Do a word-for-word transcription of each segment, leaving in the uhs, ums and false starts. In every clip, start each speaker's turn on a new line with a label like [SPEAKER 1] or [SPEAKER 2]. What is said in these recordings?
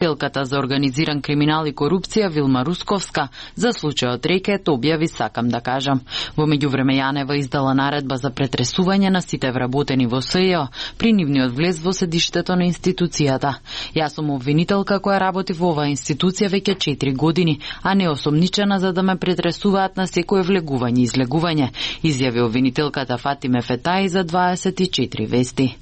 [SPEAKER 1] Телката за организиран криминал и корупција Вилма Русковска за случајот Рекет објави сакам да кажам. Во меѓувреме Јанева издала наредба за претресување на сите вработени во СЈО при нивниот влез во седиштето на институцијата. Јас сум обвинителка која работи во оваа институција веќе четири години, а не осомничена за да ме претресуваат на секое влегување и излегување, изјави обвинителката Фатиме Фетаи за дваесет и четири вести.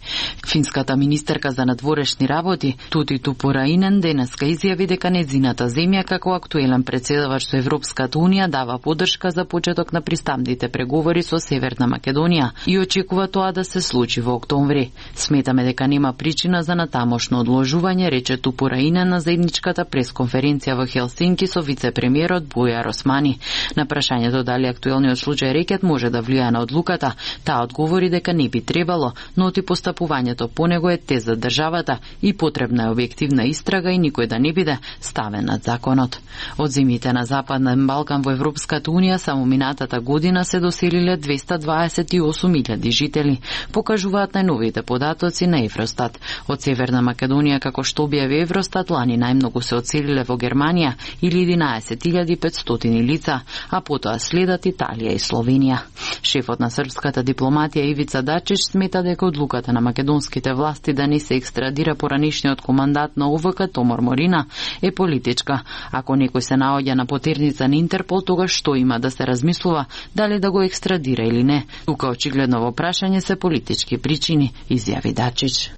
[SPEAKER 1] Финската министерка за надворешни работи Тути Тупураинен денеска изјави дека незината земја како актуелен претседавач со Европската унија дава поддршка за почеток на пристапните преговори со Северна Македонија и очекува тоа да се случи во октомври. Сметаме дека нема причина за натамошно одложување, рече Тупураинен на заедничката пресконференција во Хелсинки со вице-премиерот Бујар Османи. На прашањето дали актуелниот случај Рекет може да влијае на одлуката, таа одговори дека не би требало, но оти постапувањето по него е тест за државата и потребна е објективна истрага и никој да не биде ставен над законот. Од земјите на Западен Балкан во Европската унија само минатата година се доселиле двеста дваесет и осум илјади жители, покажуваат најновите податоци на Евростат. Од Северна Македонија, како што објави Евростат, лани најмногу се одселиле во Германија или единаесет илјади и петстотини лица, а потоа следат Италија и Словенија. Шефот на српската дипломатија Ивица Дачич смета дека одлуката на македонските власти да не се екстрадира поранишниот командант на О В К Томор Морина е политичка. Ако некој се наоѓа на потерница на Интерпол, тогаш што има да се размислува дали да го екстрадира или не. Тука очигледно во прашање се политички причини, изјави Дачич.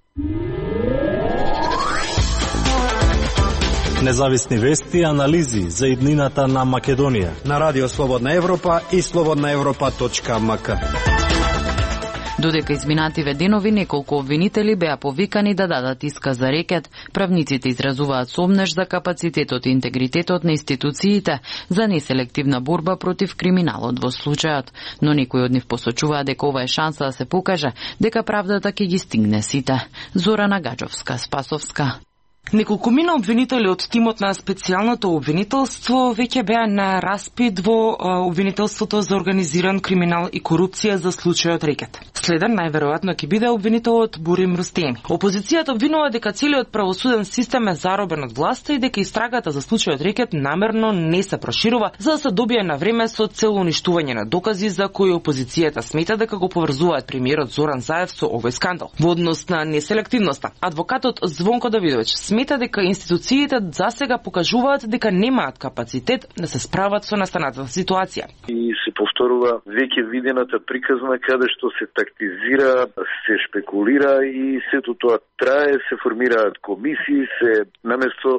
[SPEAKER 2] Независни вести и анализи за иднината на Македонија
[SPEAKER 3] на Радио Слободна Европа и слободна европа точка м к.
[SPEAKER 1] Додека изминативе денови неколку обвинители беа повикани да дадат исказ за Рекет, правниците изразуваат сомнеж за капацитетот и интегритетот на институциите за неселективна борба против криминалот во случајот, но некои од нив посочуваат дека ова е шанса да се покаже дека правдата ќе ги стигне сите. Зорана Гаджовска, Спасовска.
[SPEAKER 4] Неколкумина обвинители од тимот на специјалното обвинителство веќе беа на распит во обвинителството за организиран криминал и корупција за случајот Рекет. Следен најверојатно ќе биде обвинителот Бурим Рустеми. Опозицијата обвинува дека целиот правосуден систем е заробен од власта и дека истрагата за случајот Рекет намерно не се проширува за да се добие на време со цел уништување на докази за кои опозицијата смета дека го поврзуваат премиерот Зоран Заев со овој скандал. Во однос на неселективноста, адвокатот Звонко Давидовиќ смета дека институциите засега покажуваат дека немаат капацитет да се справат со настанатата ситуација.
[SPEAKER 5] И се повторува веќе видената приказна каде што се тактизира, се шпекулира и сето тоа трае, се формираат комисии, се наместо